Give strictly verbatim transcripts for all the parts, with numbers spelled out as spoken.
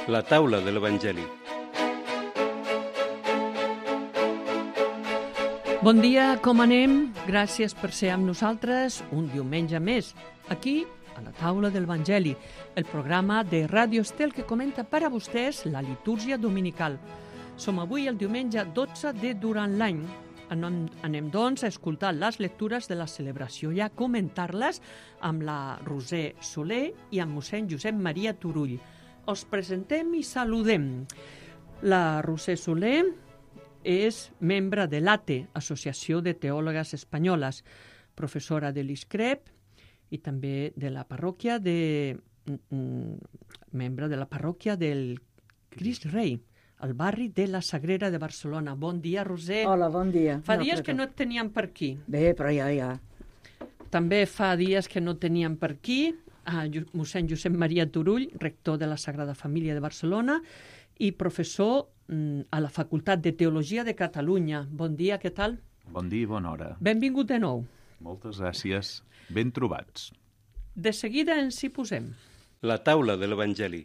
La taula de l'Evangeli. Bon dia, com anem? Gràcies per ser amb nosaltres un diumenge més, aquí a la taula de l'Evangeli, el programa de Ràdio Estel que comenta per a vostès la litúrgia dominical. Som avui el diumenge dotze de durant l'any. Anem, anem doncs a escoltar les lectures de la celebració i a comentar-les amb la Roser Soler i amb mossèn Josep Maria Turull. Us presentem i saludem. La Roser Soler és membre de l'A T E, Associació de Teòlogues Espanyoles, professora de l'I S C R E P i també de la parròquia de... membre de la parròquia del Crist Rei, al barri de la Sagrera de Barcelona. Bon dia, Roser. Hola, bon dia. Fa no, dies però... que no et teníem per aquí. Bé, però ja, ja. També fa dies que no teníem per aquí a mossèn Josep Maria Turull, rector de la Sagrada Família de Barcelona i professor a la Facultat de Teologia de Catalunya. Bon dia, què tal? Bon dia i bona hora. Benvingut de nou. Moltes gràcies. Ben trobats. De seguida ens hi posem. La taula de l'Evangeli.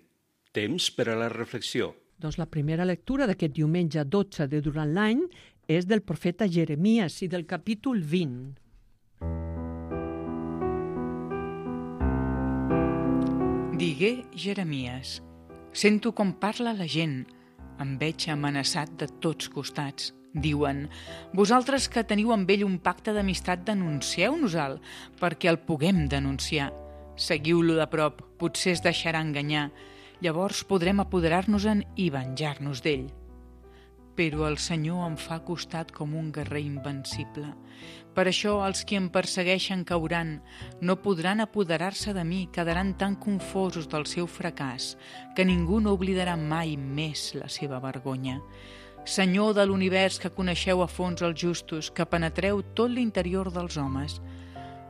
Temps per a la reflexió. Doncs la primera lectura d'aquest diumenge dotze de durant l'any és del profeta Jeremies i del capítol vint. Digué Jeremies: sento com parla la gent, em veig amenaçat de tots costats. Diuen: vosaltres que teniu amb ell un pacte d'amistat, denuncieu-nos-el, perquè el puguem denunciar. Seguiu-lo de prop, potser es deixarà enganyar. Llavors podrem apoderar-nos-en i venjar-nos d'ell. Però el Senyor em fa costat com un guerrer invencible. Per això els qui em persegueixen cauran, no podran apoderar-se de mi, quedaran tan confosos del seu fracàs que ningú no oblidarà mai més la seva vergonya. Senyor de l'univers, que coneixeu a fons els justos, que penetreu tot l'interior dels homes,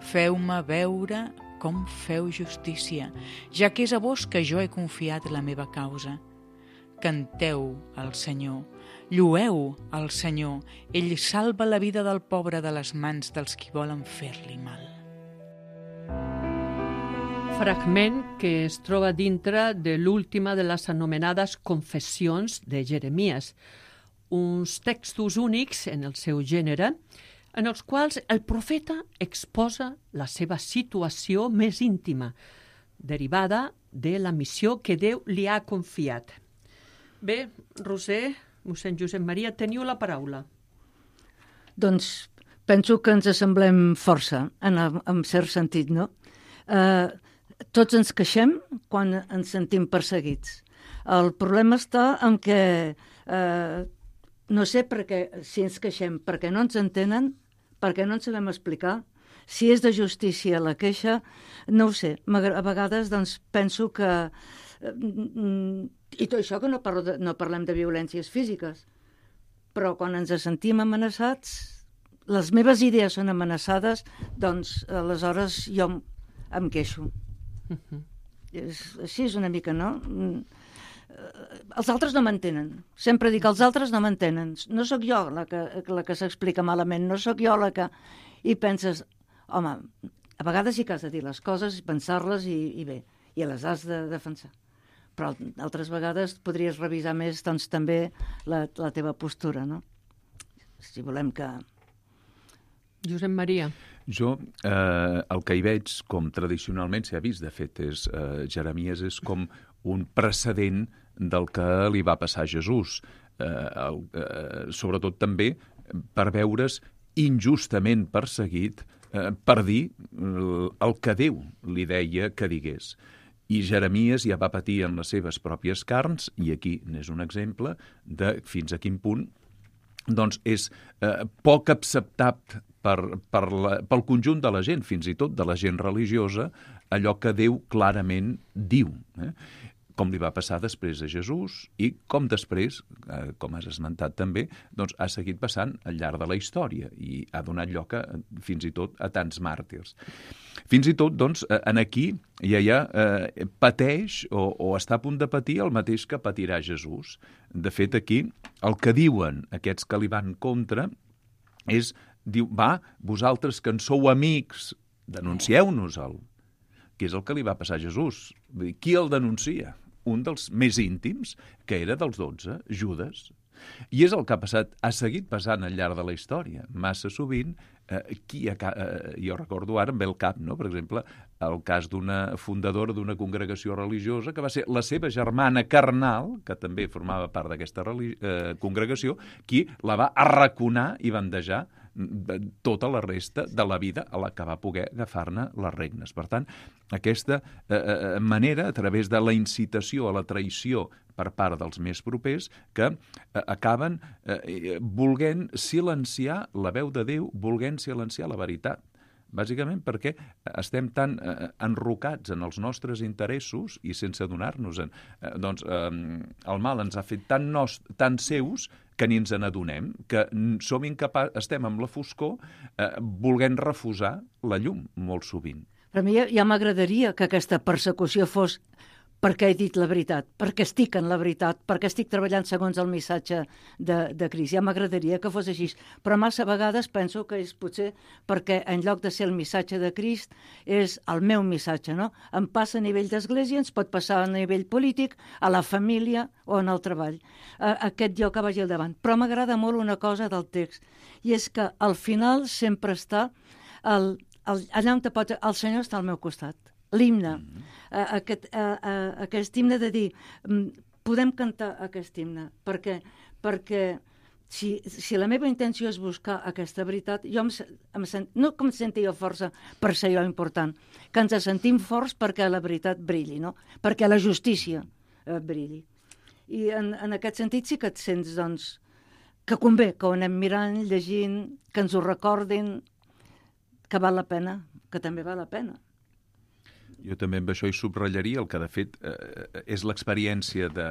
feu-me veure com feu justícia, ja que és a vos que jo he confiat la meva causa. Canteu al Senyor, llueu al Senyor, ell salva la vida del pobre de les mans dels qui volen fer-li mal. Fragment que es troba dintre de l'última de les anomenades confessions de Jeremies, uns textos únics en el seu gènere, en els quals el profeta exposa la seva situació més íntima, derivada de la missió que Déu li ha confiat. Bé, Roser, mossèn Josep Maria, teniu la paraula. Doncs penso que ens assemblem força, en, en cert sentit, no? Eh, tots ens queixem quan ens sentim perseguits. El problema està en què, eh, no sé per què, si ens queixem, perquè no ens entenen, perquè no ens sabem explicar. Si és de justícia la queixa, no ho sé. A vegades doncs, penso que... I tot això que no, parlo de, no parlem de violències físiques, però quan ens sentim amenaçats, les meves idees són amenaçades, doncs aleshores jo em queixo. Uh-huh. És, així és una mica, no? Els altres no m'entenen. Sempre dic, els altres no m'entenen. No sóc jo la que, la que s'explica malament, no sóc jo la que... I penses, home, a vegades sí que has de dir les coses, pensar-les i, i bé, i les has de defensar. Però altres vegades podries revisar més, doncs, també la, la teva postura, no? Si volem que... Josep Maria. Jo, eh, el que hi veig, com tradicionalment s'ha vist, de fet, és, eh, Jeremies és com un precedent del que li va passar a Jesús. Eh, el, eh, sobretot també per veure's injustament perseguit eh, per dir el que Déu li deia que digués. I Jeremies ja va patir en les seves pròpies carns, i aquí n'és un exemple de fins a quin punt doncs és eh, poc acceptat per, per la, pel conjunt de la gent, fins i tot de la gent religiosa, allò que Déu clarament diu. Eh? Com li va passar després a Jesús i com després, eh, com has esmentat també, doncs ha seguit passant al llarg de la història i ha donat lloc a, fins i tot a tants màrtirs. Fins i tot, doncs, en aquí ja, ja eh, pateix o, o està a punt de patir el mateix que patirà Jesús. De fet, aquí, el que diuen aquests que li van contra és, diu, va, vosaltres que en sou amics, denuncieu-nos-el, que és el que li va passar a Jesús. Qui el denuncia? un dels més íntims, que era dels dotze, Judes. I és el que ha passat, ha seguit passant al llarg de la història. Massa sovint, eh, qui ha, eh, jo recordo ara, em ve el cap, no? Per exemple, el cas d'una fundadora d'una congregació religiosa que va ser la seva germana carnal, que també formava part d'aquesta eh, congregació, qui la va arraconar i bandejar tota la resta de la vida a la que va poder agafar-ne les regnes. Per tant, aquesta eh, manera, a través de la incitació a la traïció per part dels més propers, que eh, acaben eh, volent silenciar la veu de Déu, volent silenciar la veritat. Bàsicament perquè estem tan eh, enrocats en els nostres interessos i sense adonar-nos-en. Eh, doncs eh, el mal ens ha fet tan, nos, tan seus que ni ens n'adonem, que som incapaços, estem amb la foscor eh, volent refusar la llum molt sovint. Per mi ja, ja m'agradaria que aquesta persecució fos perquè he dit la veritat, perquè estic en la veritat, perquè estic treballant segons el missatge de, de Crist. Ja m'agradaria que fos així, però massa vegades penso que és potser perquè en lloc de ser el missatge de Crist és el meu missatge, no? Em passa a nivell d'església, ens pot passar a nivell polític, a la família o en el treball. A, aquest jo que vagi al davant. Però m'agrada molt una cosa del text, i és que al final sempre està el, el, allà on te pots... El Senyor està al meu costat. L'himne, mm-hmm. uh, aquest, uh, uh, aquest himne de dir, um, podem cantar aquest himne, perquè, perquè si, si la meva intenció és buscar aquesta veritat, jo em, em sent, no que em senti jo força per ser jo important, que ens sentim forts perquè la veritat brilli, no? Perquè la justícia uh, brilli. I en, en aquest sentit sí que et sents, doncs, que convé que ho anem mirant, llegint, que ens ho recordin, que val la pena, que també val la pena. Jo també amb això hi subratllaria el que, de fet, eh, és l'experiència de,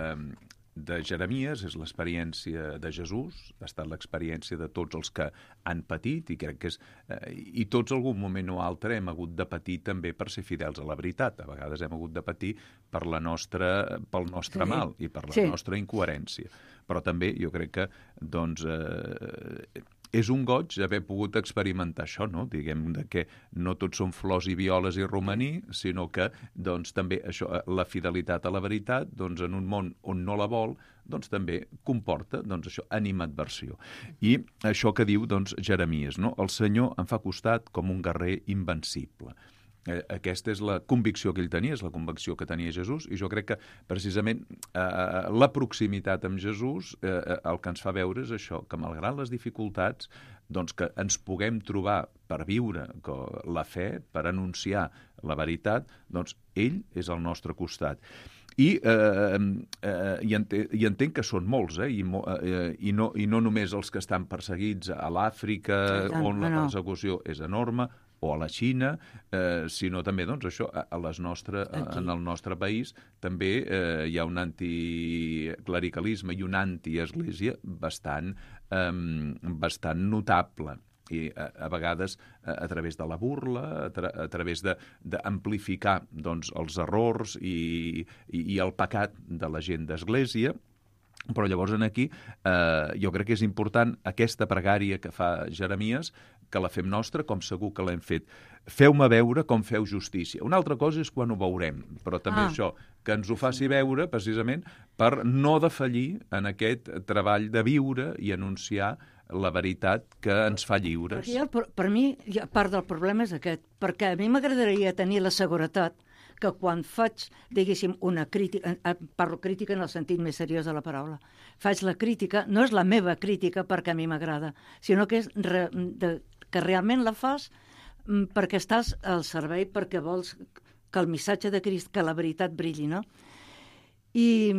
de Jeremies, és l'experiència de Jesús, ha estat l'experiència de tots els que han patit, i crec que és... Eh, i tots algun moment o altre hem hagut de patir també per ser fidels a la veritat. A vegades hem hagut de patir per la nostra, pel nostre sí. mal i per la sí. nostra incoherència. Però també jo crec que, doncs... Eh, és un goig haver pogut experimentar això, no? Diguem de que no tots són flors i violes i romaní, sinó que doncs, també això, la fidelitat a la veritat, doncs, en un món on no la vol, doncs, també comporta doncs, això, animadversió. I això que diu doncs, Jeremies, no? El Senyor em fa costat com un guerrer invencible. Eh, aquesta és la convicció que ell tenia, és la convicció que tenia Jesús, i jo crec que precisament eh, la proximitat amb Jesús eh, el que ens fa veure és això, que malgrat les dificultats doncs que ens puguem trobar per viure la fe, per anunciar la veritat, doncs ell és al nostre costat. I, eh, eh, i, entenc, i entenc que són molts, eh, i, eh, i, no, i no només els que estan perseguits a l'Àfrica, on la persecució és enorme, o a la Xina, eh, sinó també doncs, això, a les nostre, en el nostre país també eh, hi ha un anticlericalisme i una antiesglésia bastant, eh, bastant notable. I a, a vegades a, a través de la burla, a, tra a través d'amplificar doncs, els errors i, i, i el pecat de la gent d'església. Però llavors aquí eh, jo crec que és important aquesta pregària que fa Jeremies, que la fem nostra, com segur que l'hem fet. Feu-me veure com feu justícia. Una altra cosa és quan ho veurem, però també ah. això, que ens ho faci veure precisament per no defallir en aquest treball de viure i anunciar la veritat que ens fa lliures. Ja, per, per mi, ja, part del problema és aquest, perquè a mi m'agradaria tenir la seguretat que quan faig, diguéssim, una crítica, parlo crítica en el sentit més seriós de la paraula, faig la crítica, no és la meva crítica perquè a mi m'agrada, sinó que és re, de, que realment la fas perquè estàs al servei, perquè vols que el missatge de Crist, que la veritat brilli, no? I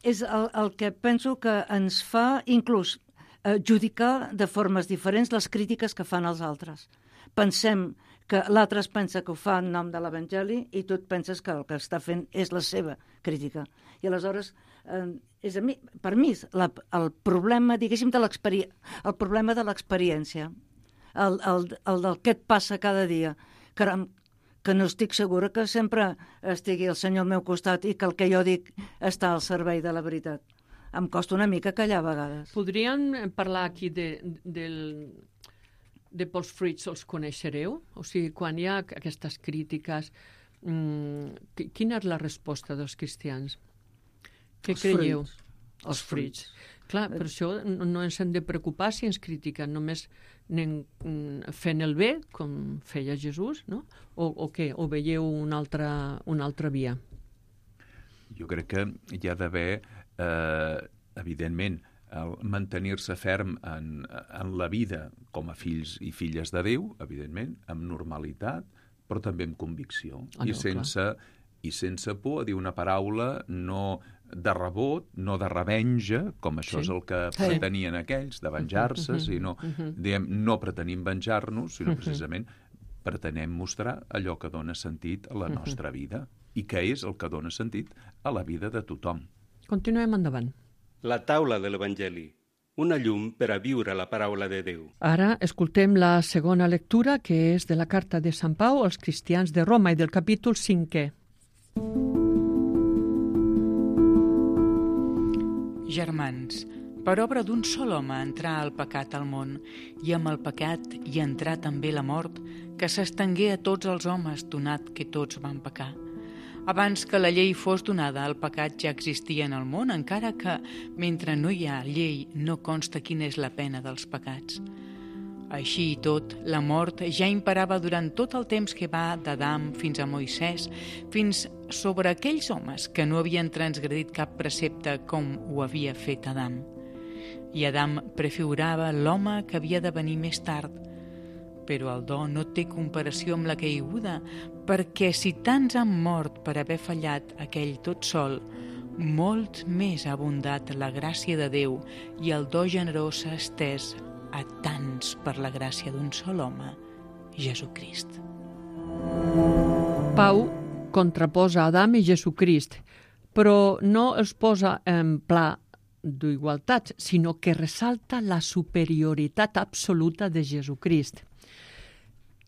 és el, el que penso que ens fa inclús eh, judicar de formes diferents les crítiques que fan els altres. Pensem que l'altre es pensa que ho fa en nom de l'Evangeli i tu et penses que el que està fent és la seva crítica. I aleshores, eh, és a mi, per mi, la, el problema, diguéssim, de l'experiència, el problema de l'experiència, el, el, el del que et passa cada dia, caram, que no estic segura que sempre estigui el Senyor al meu costat i que el que jo dic està al servei de la veritat. Em costa una mica callar a vegades. Podríem parlar aquí de, del... de pels fruits els coneixereu? O sigui, quan hi ha aquestes crítiques, mm, quina és la resposta dels cristians? Què Els creieu? fruits. Els fruits. Clar, per això no no ens hem de preocupar si ens critiquen, només anem mm, fent el bé, com feia Jesús, no? O, o què? O veieu una altra, una altra via? Jo crec que hi ha d'haver, eh, evidentment, el mantenir-se ferm en, en la vida com a fills i filles de Déu, evidentment, amb normalitat, però també amb convicció. Ah, no, I, sense, I sense por a dir una paraula no de rebot, no de revenja, com això Sí. és el que Sí. pretenien aquells, de venjar-se, Mhm, sinó, mhm. diem, no pretenim venjar-nos, sinó Mhm. precisament pretenem mostrar allò que dona sentit a la Mhm. nostra vida i que és el que dona sentit a la vida de tothom. Continuem endavant. La taula de l'Evangeli, una llum per a viure la paraula de Déu. Ara escoltem la segona lectura, que és de la carta de Sant Pau als cristians de Roma i del capítol cinquè. Germans, per obra d'un sol home entrà el pecat al món, i amb el pecat hi entrà també la mort, que s'estengué a tots els homes, donat que tots van pecar. Abans que la llei fos donada, el pecat ja existia en el món, encara que, mentre no hi ha llei, no consta quina és la pena dels pecats. Així i tot, la mort ja imperava durant tot el temps que va d'Adam fins a Moisès, fins sobre aquells homes que no havien transgredit cap precepte com ho havia fet Adam. I Adam prefigurava l'home que havia de venir més tard. Però el do no té comparació amb la caiguda, perquè si tants han mort per haver fallat aquell tot sol, molt més ha abundat la gràcia de Déu i el do generós s'ha estès a tants per la gràcia d'un sol home, Jesucrist. Pau contraposa Adam i Jesucrist, però no els posa en pla d'igualtat, sinó que ressalta la superioritat absoluta de Jesucrist.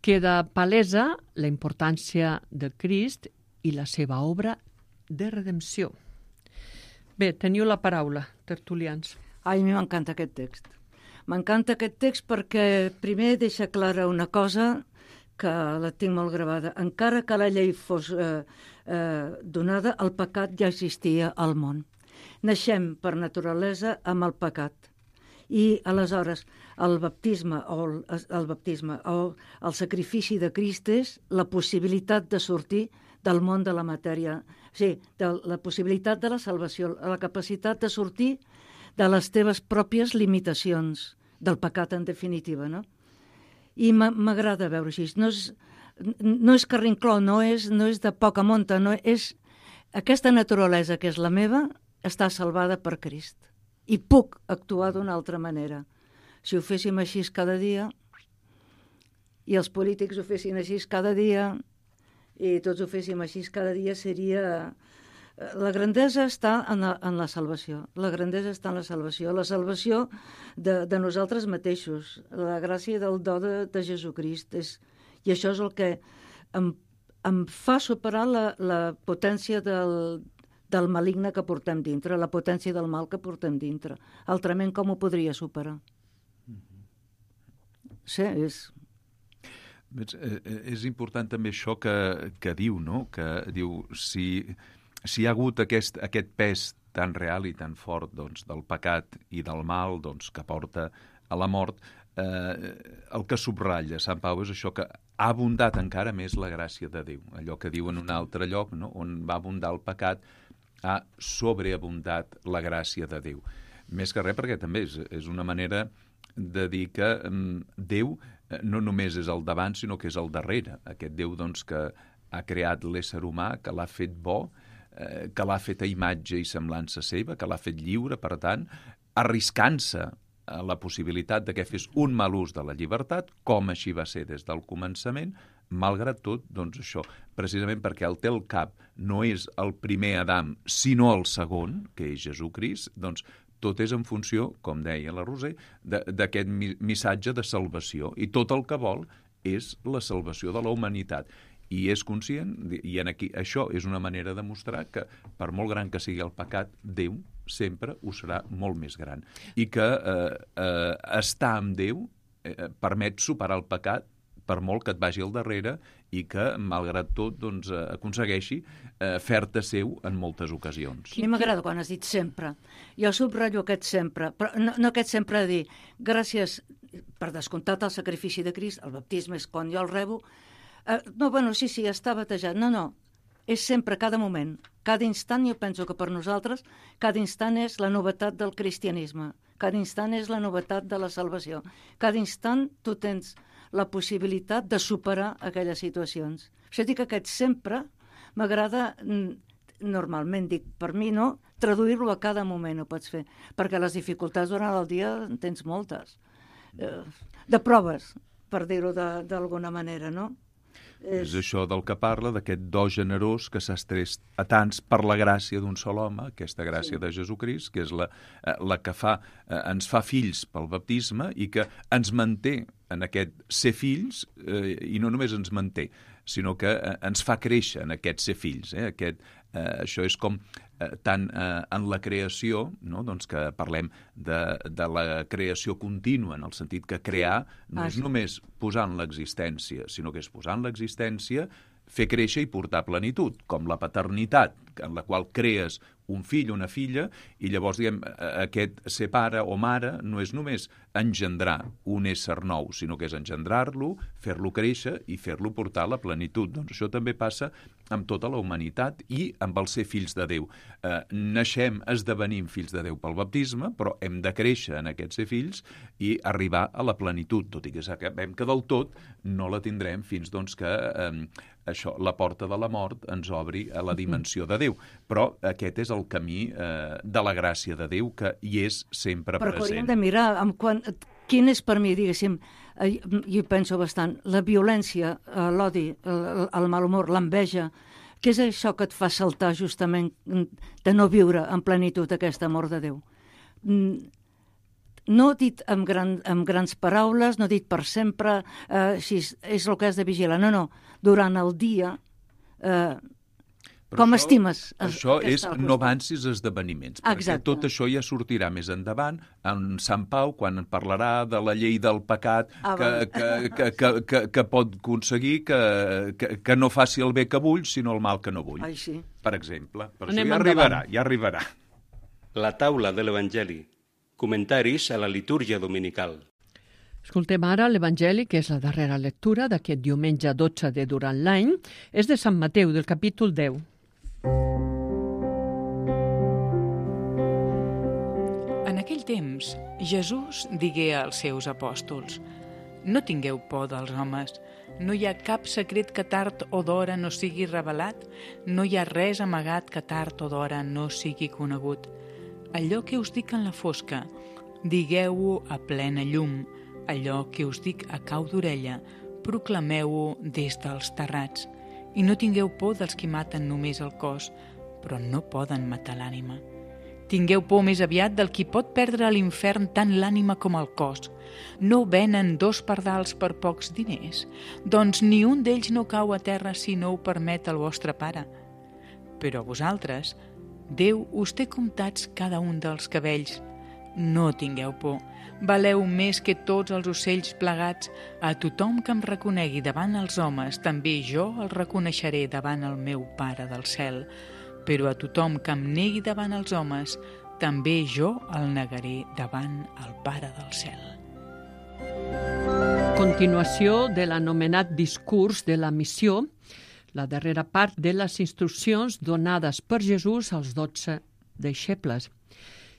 Queda palesa la importància de Crist i la seva obra de redempció. Bé, teniu la paraula, tertulians. Ai, a mi m'encanta aquest text. M'encanta aquest text perquè primer deixa clara una cosa que la tinc molt gravada. Encara que la llei fos eh, eh, donada, el pecat ja existia al món. Naixem per naturalesa amb el pecat. I aleshores el baptisme o el, el baptisme o el sacrifici de Crist és la possibilitat de sortir del món de la matèria. Sí, de la possibilitat de la salvació, la capacitat de sortir de les teves pròpies limitacions, del pecat en definitiva, no? I m'agrada veure així. No és, no és carrincló, no és, no és de poca monta, no és... Aquesta naturalesa que és la meva està salvada per Crist. I puc actuar d'una altra manera. Si ho féssim així cada dia, i els polítics ho fessin així cada dia, i tots ho féssim així cada dia, seria... La grandesa està en la, en la salvació. La grandesa està en la salvació. La salvació de, de nosaltres mateixos. La gràcia del do de, de Jesucrist. És, I això és el que em, em fa superar la, la potència del, del maligne que portem dintre, la potència del mal que portem dintre. Altrament, com ho podria superar? Sí, és... És important també això que, que diu, no? Que diu, si... Si hi ha hagut aquest, aquest pes tan real i tan fort doncs, del pecat i del mal doncs, que porta a la mort, eh, el que subratlla Sant Pau és això, que ha abundat encara més la gràcia de Déu. Allò que diu en un altre lloc, no? On va abundar el pecat, ha sobreabundat la gràcia de Déu. Més que res perquè també és, és una manera de dir que um, Déu no només és el davant, sinó que és el darrere. Aquest Déu doncs, que ha creat l'ésser humà, que l'ha fet bo, que l'ha fet a imatge i semblança seva, que l'ha fet lliure, per tant, arriscant-se a la possibilitat de que fes un mal ús de la llibertat, com així va ser des del començament, malgrat tot, doncs això, precisament perquè el té al cap no és el primer Adam, sinó el segon, que és Jesucrist, doncs tot és en funció, com deia la Roser, d'aquest missatge de salvació. I tot el que vol és la salvació de la humanitat. I és conscient, i en aquí, això és una manera de mostrar que, per molt gran que sigui el pecat, Déu sempre ho serà molt més gran. I que eh, eh, estar amb Déu eh, permet superar el pecat, per molt que et vagi al darrere i que, malgrat tot, doncs, aconsegueixi eh, fer-te seu en moltes ocasions. A mi m'agrada quan has dit sempre. Jo subratllo aquest sempre, però no, no aquest sempre de dir gràcies, per descomptat, al sacrifici de Crist, el baptisme és quan jo el rebo. Eh, no, bueno, sí, sí, està batejat. No, no, és sempre, cada moment, cada instant. Jo penso que per nosaltres cada instant és la novetat del cristianisme, cada instant és la novetat de la salvació, cada instant tu tens la possibilitat de superar aquelles situacions. Això dic que aquest sempre m'agrada, normalment dic per mi, no? Traduir-lo a cada moment ho pots fer, perquè les dificultats durant el dia en tens moltes, eh, de proves, per dir-ho d'alguna manera, no? És això del que parla, d'aquest do generós que s'ha estrès a tants per la gràcia d'un sol home, aquesta gràcia sí. de Jesucrist, que és la, la que fa, ens fa fills pel baptisme i que ens manté en aquest ser fills, eh, i no només ens manté, sinó que eh, ens fa créixer en aquest ser fills. Eh? Aquest, eh, això és com eh, tant eh, en la creació, no? doncs que parlem de, de la creació contínua, en el sentit que crear no ah, és sí. només posar en l'existència, sinó que és posar en l'existència, fer créixer i portar plenitud, com la paternitat, en la qual crees un fill o una filla, i llavors, diguem, aquest ser pare o mare no és només engendrar un ésser nou, sinó que és engendrar-lo, fer-lo créixer i fer-lo portar a la plenitud. Doncs això també passa amb tota la humanitat i amb el ser fills de Déu. Eh, naixem, esdevenim fills de Déu pel baptisme, però hem de créixer en aquest ser fills i arribar a la plenitud, tot i que sabem que del tot no la tindrem fins doncs, que eh, això, la porta de la mort ens obri a la dimensió de Déu. Però aquest és el camí eh, de la gràcia de Déu, que hi és sempre però present. Però hauríem de mirar amb quan, quin és per mi, diguéssim, eh, jo penso bastant, la violència, eh, l'odi, el, el mal humor, l'enveja, què és això que et fa saltar justament de no viure en plenitud aquest amor de Déu? No dit amb, gran, amb grans paraules, no dit per sempre, eh, si és, és el que has de vigilar, no, no, durant el dia... Eh, Però com això, estimes? Això és no avancis esdeveniments, perquè Exacte. tot això ja sortirà més endavant en Sant Pau, quan en parlarà de la llei del pecat ah, que, que, que, que, que, que pot aconseguir que, que, que no faci el bé que vull, sinó el mal que no vull. Ai, sí. Per exemple. Per Anem això ja endavant. arribarà, ja arribarà. La taula de l'Evangeli. Comentaris a la litúrgia dominical. Escoltem ara l'Evangeli, que és la darrera lectura d'aquest diumenge dotze de durant l'any. És de Sant Mateu, del capítol deu. En aquell temps, Jesús digué als seus apòstols: no tingueu por dels homes, no hi ha cap secret que tard o d'hora no sigui revelat, no hi ha res amagat que tard o d'hora no sigui conegut. Allò que us dic en la fosca, digueu-ho a plena llum, allò que us dic a cau d'orella, proclameu-ho des dels terrats. I no tingueu por dels qui maten només el cos, però no poden matar l'ànima. Tingueu por més aviat del qui pot perdre a l'infern tant l'ànima com el cos. No venen dos pardals per pocs diners, doncs ni un d'ells no cau a terra si no ho permet el vostre pare. Però a vosaltres, Déu us té comptats cada un dels cabells. No tingueu por, valeu més que tots els ocells plegats. A tothom que em reconegui davant els homes, també jo el reconeixeré davant el meu Pare del cel. Però a tothom que em negui davant els homes, també jo el negaré davant el Pare del cel. Continuació de l'anomenat discurs de la missió, la darrera part de les instruccions donades per Jesús als dotze deixebles.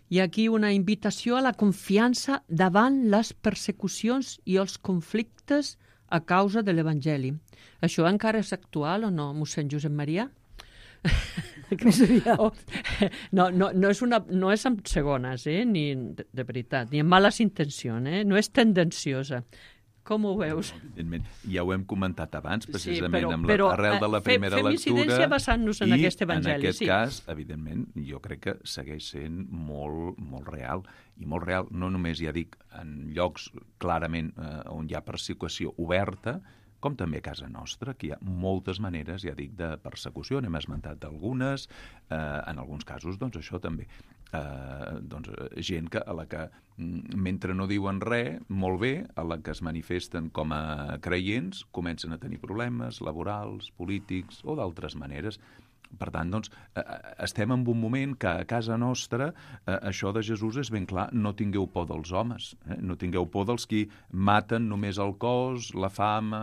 Hi ha aquí una invitació a la confiança davant les persecucions i els conflictes a causa de l'Evangeli. Això encara és actual o no, mossèn Josep Maria? Oh, no, no, no, és una, no és amb segones, eh? Ni de, de veritat, ni amb males intencions, eh? No és tendenciosa. Com ho veus? Evidentment, ja ho hem comentat abans, precisament, sí, però, amb però, l'arrel de la fe, primera fem lectura. Incidència basant-nos en i aquest evangeli. en aquest sí. cas, evidentment, jo crec que segueix sent molt, molt real. I molt real, no només, ja dic, en llocs clarament eh, on hi ha persecució oberta, com també a casa nostra, que hi ha moltes maneres, ja dic, de persecució, n'hem esmentat algunes, eh, en alguns casos, doncs això també. eh, doncs, gent que, a la que, mentre no diuen res, molt bé, a la que es manifesten com a creients, comencen a tenir problemes laborals, polítics o d'altres maneres. Per tant, doncs, eh, estem en un moment que a casa nostra eh, això de Jesús és ben clar, no tingueu por dels homes, eh? No tingueu por dels qui maten només el cos, la fama,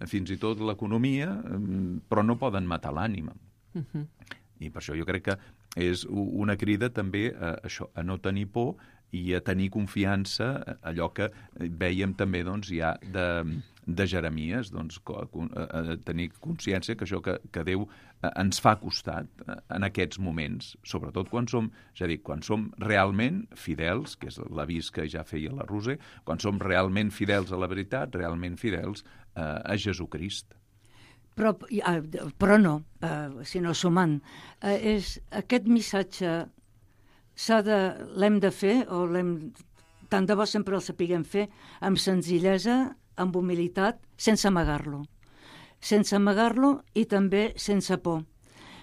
eh, fins i tot l'economia, eh, però no poden matar l'ànima. Uh-huh. I per això jo crec que és una crida també a, això, a no tenir por i a tenir confiança, allò que vèiem també doncs, ja de, de Jeremies, doncs, a tenir consciència que això que, que Déu ens fa costat en aquests moments, sobretot quan som, ja dic, quan som realment fidels, que és l'avís que ja feia la Roser, quan som realment fidels a la veritat, realment fidels a, a Jesucrist. Però, però no, eh, sinó sumant. Eh, és aquest missatge s'ha de, l'hem de fer, o l'hem, tant de bo sempre el sapiguem fer, amb senzillesa, amb humilitat, sense amagar-lo. Sense amagar-lo i també sense por.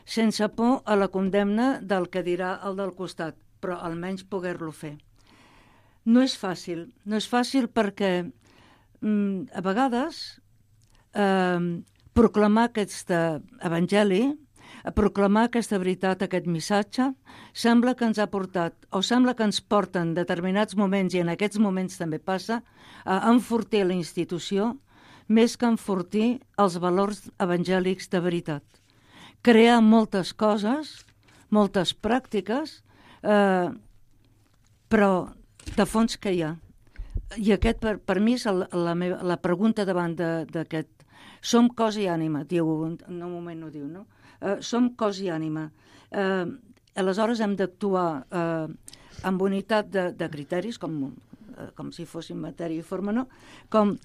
Sense por a la condemna del que dirà el del costat, però almenys poder-lo fer. No és fàcil, no és fàcil perquè mm, a vegades eh, proclamar aquest evangeli, proclamar aquesta veritat, aquest missatge, sembla que ens ha portat, o sembla que ens porta en determinats moments, i en aquests moments també passa, a enfortir la institució més que enfortir els valors evangèlics de veritat. Crear moltes coses, moltes pràctiques, eh, però de fons que hi ha. I aquest, per, per mi, és la, la, meva, la pregunta davant d'aquest. Som cos i ànima, diu, en un moment no diu, no? Uh, som cos i ànima. Uh, aleshores hem d'actuar uh, amb unitat de, de criteris, com, uh, com si fossin matèria i forma, no? Com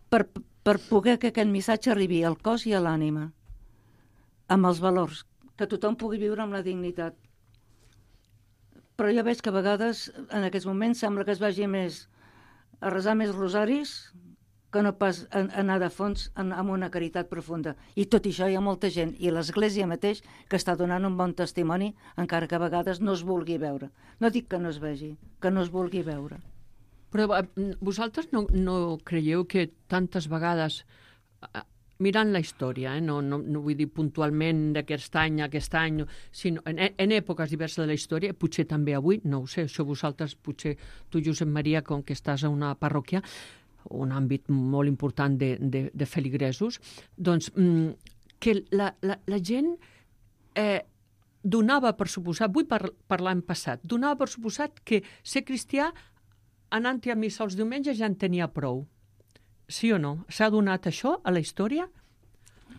per, per poder que aquest missatge arribi al cos i a l'ànima, amb els valors, que tothom pugui viure amb la dignitat. Però jo veig que a vegades, en aquests moments, sembla que es vagi més a resar més rosaris que no pas anar de fons amb una caritat profunda. I tot això hi ha molta gent, i l'Església mateix, que està donant un bon testimoni, encara que a vegades no es vulgui veure. No dic que no es vegi, que no es vulgui veure. Però vosaltres no, no creieu que tantes vegades, mirant la història, eh, no, no, no vull dir puntualment d'aquest any, aquest any, sinó en, en èpoques diverses de la història, potser també avui, no ho sé, això vosaltres, potser tu, Josep Maria, com que estàs a una parròquia, un àmbit molt important de, de, de feligresos, doncs que la, la, la gent eh, donava per suposat, vull par parlar en passat, donava per suposat que ser cristià anant-hi a missa els diumenges ja en tenia prou. Sí o no? S'ha donat això a la història?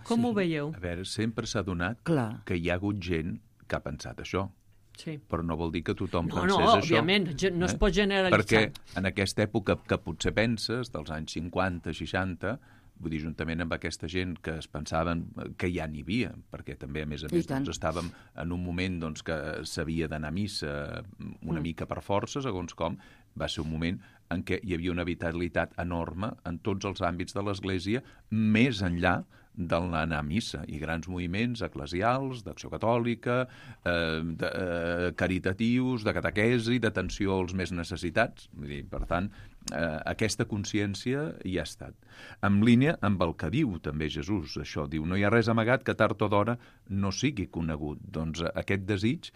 Com sí, ho veieu? A veure, sempre s'ha donat Clar. que hi ha hagut gent que ha pensat això. Sí. Però no vol dir que tothom no, pensés no, això. Òbviament, no es pot generalitzar. Perquè en aquesta època que potser penses, dels anys cinquanta, seixanta, vull dir, juntament amb aquesta gent que es pensaven que ja n'hi havia, perquè també, a més a més, doncs, estàvem en un moment doncs, que s'havia d'anar a missa una mm. mica per força, segons com, va ser un moment en què hi havia una vitalitat enorme en tots els àmbits de l'Església, més enllà del anar a missa, i grans moviments eclesials, d'acció catòlica, eh, de, eh, caritatius, de catequesi, d'atenció als més necessitats. Vull dir, per tant, eh, aquesta consciència hi ha estat. En línia amb el que diu també Jesús, això diu, no hi ha res amagat que tard o d'hora no sigui conegut. Doncs aquest desig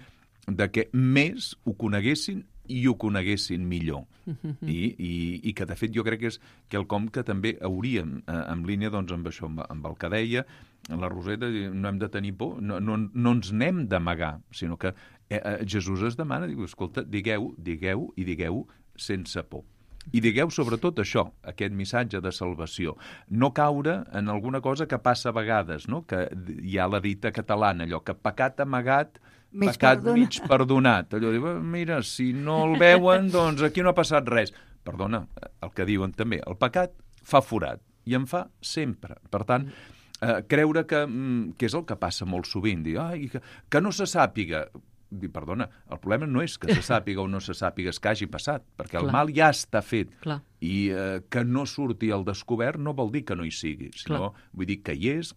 de que més ho coneguessin i ho coneguessin millor. Uh-huh. I, i, I que, de fet, jo crec que és quelcom que també hauríem, eh, en línia doncs, amb això, amb, amb el que deia, la Roseta, no hem de tenir por, no, no, no ens n'hem d'amagar, sinó que eh, eh, Jesús es demana, diu, escolta, digueu, digueu i digueu sense por. I digueu sobretot això, aquest missatge de salvació. No caure en alguna cosa que passa a vegades, no? Que hi ha la dita catalana, allò que pecat amagat, mig pecat perdonat. mig perdonat. Allò diu, mira, si no el veuen, doncs aquí no ha passat res. Perdona, el que diuen també, el pecat fa forat, i en fa sempre. Per tant, eh, creure que, que és el que passa molt sovint, dir, ai, que, que no se sàpiga. Dir, perdona, el problema no és que se sàpiga o no se sàpiga que hagi passat, perquè Clar. el mal ja està fet. Clar. I eh, que no surti al descobert no vol dir que no hi sigui, sinó Clar. vull dir que hi és,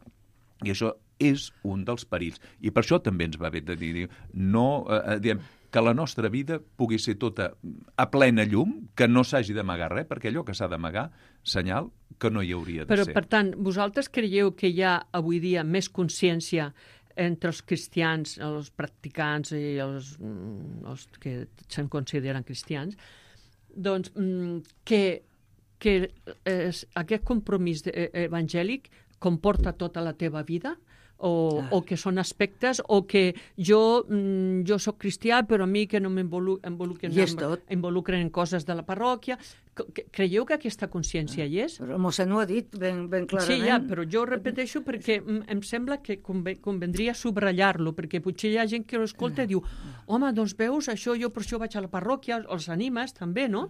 i això és un dels perills. I per això també ens va bé de dir, no, eh, diem, que la nostra vida pugui ser tota a plena llum, que no s'hagi d'amagar res, perquè allò que s'ha d'amagar, senyal que no hi hauria de Però, ser. per tant, vosaltres creieu que hi ha avui dia més consciència entre els cristians, els practicants i els, els que se'n consideren cristians, doncs que, que és, aquest compromís evangèlic comporta tota la teva vida? O, ah. o que són aspectes, o que jo, mm, jo soc cristià, però a mi que no m'involucren en coses de la parròquia. Creieu que aquesta consciència hi és? Però el mossèn ho ha dit ben, ben clarament. Sí, ja, però jo ho repeteixo perquè em sembla que convendria subratllar-lo, perquè potser hi ha gent que ho escolta i diu, home, doncs veus, això jo per això vaig a la parròquia, els animes també, no?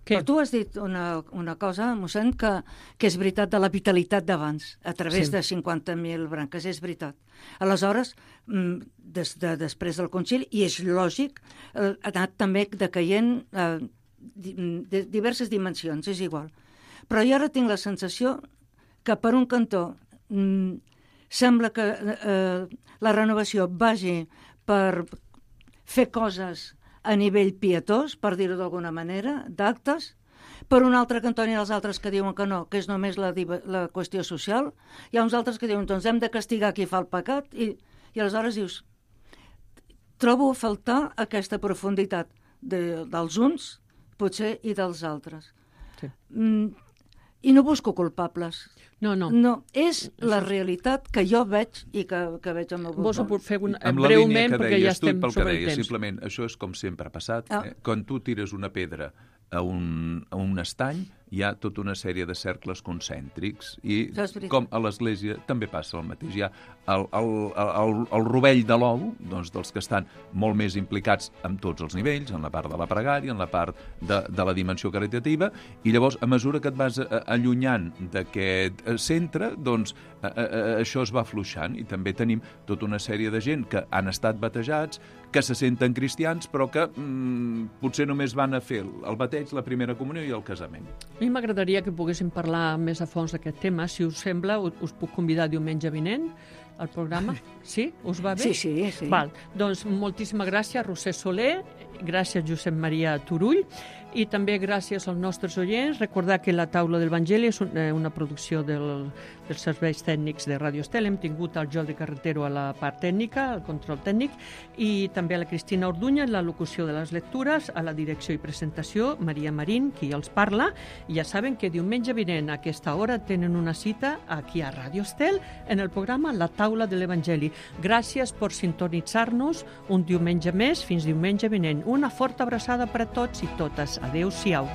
Què? Però tu has dit una, una cosa, mossèn, que, que és veritat de la vitalitat d'abans, a través sí. de cinquanta mil branques, és veritat. Aleshores, des de, després del concili, i és lògic, ha anat també decaient eh, de diverses dimensions, és igual. Però jo ara tinc la sensació que, per un cantó, mm, sembla que eh, la renovació vagi per fer coses a nivell pietós, per dir-ho d'alguna manera, d'actes. Per un altre cantó hi ha els altres que diuen que no, que és només la, la qüestió social. Hi ha uns altres que diuen, doncs hem de castigar qui fa el pecat, i, i aleshores dius, trobo a faltar aquesta profunditat de, dels uns, potser, i dels altres. Sí. Mm, I no busco culpables. No, no. No, és la realitat que jo veig i que, que veig al meu voltant. Vos fer un, amb breument, la perquè ja estem tu, sobre el deies, temps. Simplement, això és com sempre ha passat. Ah. Eh? Quan tu tires una pedra a un, a un estany, hi ha tota una sèrie de cercles concèntrics, i com a l'Església també passa el mateix. Hi ha el, el, el, el rovell de l'ou, doncs, dels que estan molt més implicats en tots els nivells, en la part de la pregària, en la part de, de la dimensió caritativa, i llavors, a mesura que et vas allunyant d'aquest centre, doncs a, a, a, això es va afluixant, i també tenim tota una sèrie de gent que han estat batejats, que se senten cristians, però que mm, potser només van a fer el bateig, la primera comunió i el casament. A mi m'agradaria que poguéssim parlar més a fons d'aquest tema. Si us sembla, us puc convidar diumenge vinent al programa. Sí? Us va bé? Sí, sí. sí. Val. Doncs moltíssimes gràcies, Roser Soler, gràcies, Josep Maria Turull, i també gràcies als nostres oients. Recordar que La Taula del Vangeli és una producció del, dels serveis tècnics de Radio Estel. Hem tingut el Jordi Carretero a la part tècnica, al control tècnic, i també a la Cristina Orduña en la locució de les lectures, a la direcció i presentació, Maria Marín, qui els parla. I ja saben que diumenge vinent a aquesta hora tenen una cita aquí a Radio Estel en el programa La Taula de l'Evangeli. Gràcies per sintonitzar-nos un diumenge més. Fins diumenge vinent. Una forta abraçada per a tots i totes. Adéu-siau.